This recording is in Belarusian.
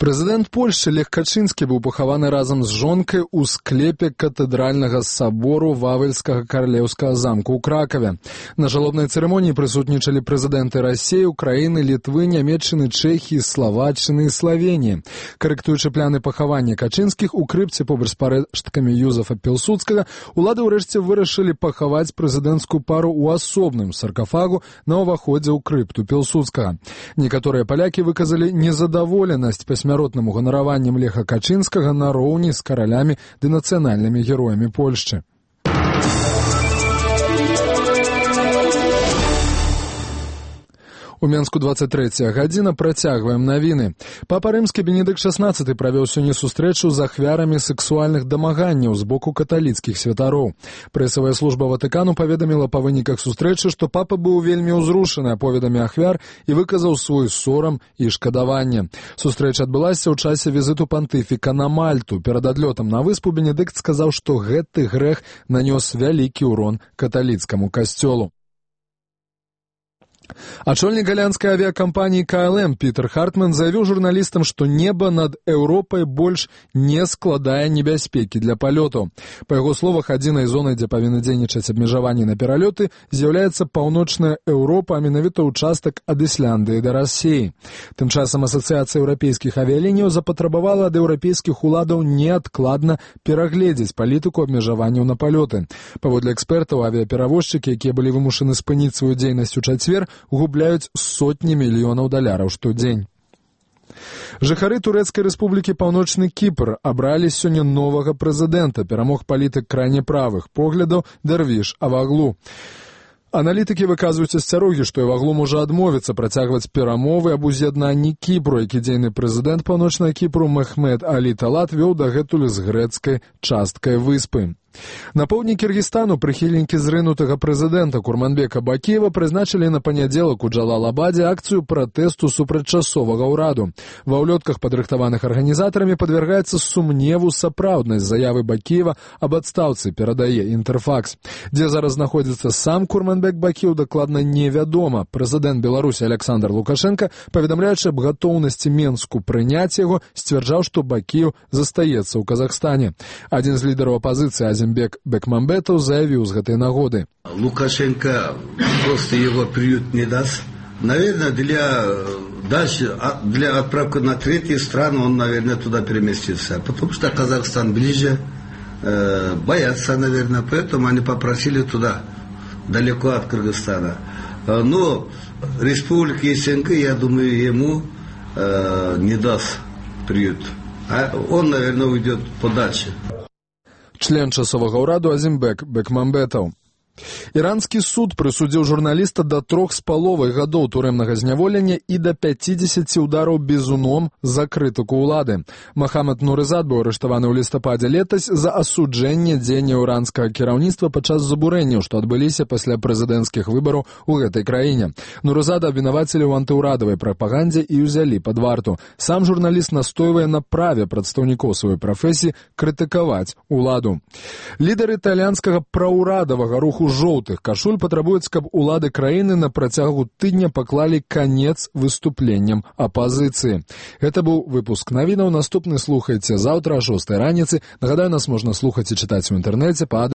Прэзідэнт Польшчы Лех Качынскі быў пахаваны разам з жонкай у склепе катэдральнага сабору Вавельскага каралеўскага замку ў Кракаве. На жалобнай цырымоніі прысутнічалі прэзідэнты Расіі, Украіны, Літвы, Нямецчыны, Чэхіі, Славаччыны і Славеніі. Карэктуючы пляны пахавання Качынскіх у крыпце побач з парэшткамі Юзафа Пілсудскага, улады ўрэшце вырашылі пахаваць прэзідэнцкую пару ў асобным саркафагу на ўваходзе ў крыпту Пілсудскага. Некаторыя палякі выказалі незадаволенасць пасмяротным уганараваннем Леха Качынскага нароўні з каралямі ды нацыянальнымі героямі Польшчы. У Менску 23 гадзіна, працягваем навіны. Папа рымскі Бенедыкт XVI правёў сёння сустрэчу з ахвярамі сексуальных дамаганняў з боку каталіцкіх святароў. Прэсавая служба Ватыкану паведаміла па выніках сустрэчы, што папа быў вельмі ўзрушаны аповедамі ахвяр і выказаў свой сорам і шкадаванне. Сустрэча адбылася ў часе візіту пантыфіка на Мальту. Перад адлётам на выспу Бенедыкт сказаў, што гэты грэх нанёс вялікі ўрон каталіцкаму касцёлу. Ачольнік галандскай авіякампаніі КЛМ Пітер Хартман заявіў журналістам, што неба над Еўропай больш не складае небяспекі для палётаў. Па яго словах, адзінай зонай, дзе павінны дзейнічаць абмежаванні на пералёты, з'яўляецца паўночная Еўропа, а менавіта ўчастак ад Ісляндыі да Расіі. Тым часам Асацыяцыя еўрапейскіх авіялініяў запатрабавала ад еўрапейскіх уладаў неадкладна перагледзець палітыку абмежаванняў на палёты. Паводле экспертаў, авіаперавозчыкі, якія былі вымушаны спыніць сваю дзейнасць у чацвер, губляюць сотні мільёнаў даляраў штодзень. Жыхары Турэцкай рэспублікі Паўночны Кіпр абралі сёння новага прэзідэнта, перамог палітык крайне правых поглядаў Дэрвіш Аваглу. Аналітыкі выказваюць асцярогі, што Аваглу можа адмовіцца працягваць перамовы аб уз'яднанні Кіпру, які дзейны прэзідэнт Паўночнага Кіпру Мехмед Алі Талат вёў дагэтуль з грэцкай часткай выспы. На поўдні Кіргізстану прыхільнікі зрынутага прэзідэнта Курманбека Бакіева прызначылі на панядзелак у Джалалабадзе акцыю пратэсту супраць часовага ўраду. Ва ўлётках, падрыхтаваных арганізатарамі, падвяргаецца сумневу сапраўднасць заявы Бакіева аб адстаўцы, перадае Інтэрфакс. Дзе зараз знаходзіцца сам Курманбек Бакіеў, дакладна невядома. Прэзідэнт Беларусі Аляксандр Лукашенка, паведамляючы аб гатоўнасці Менску прыняць яго, сцвярджаў, што Бакіеў застаецца ў Казахстане. Адзін з лідараў апазіцыі Азимбек Бекмамбетов заявил с этой нагоды. Лукашенко просто его приют не даст. Наверное, для отправки на третьи страны он, наверное, туда переместится. Потому что Казахстан ближе, боятся, наверное, поэтому они попросили туда, далеко от Кыргызстана. Но республика СНГ, я думаю, ему не даст приют. А он, наверное, уйдет подальше. Член часовага ўраду Азимбек Бекмамбетов. Іранскі суд прысудзіў журналіста да 3,5 гадоў турэмнага зняволення і да 50 удараў бізуном за крытыку ўлады. Махамад Нурызад быў арыштаваны ў лістападзе летась за асуджэнне дзеянняў іранскага кіраўніцтва падчас забурэнняў, што адбыліся пасля прэзідэнцкіх выбараў у гэтай краіне. Нурызада абвінавацілі ў антыўрадавай прапагандзе і ўзялі пад варту. Сам журналіст настойвае на праве прадстаўнікоў сваёй прафесіі крытыкаваць уладу. Лідары італьянскага праўрадавага руху жоўтых кашуль патрабуюць, каб улады краіны на працягу тыдня паклалі канец выступленням апазіцыі. Гэта быў выпуск навінаў. Наступны слухайце заўтра о 6 раніцы. Нагадаю, нас можна слухаць і чытаць у інтэрнэце па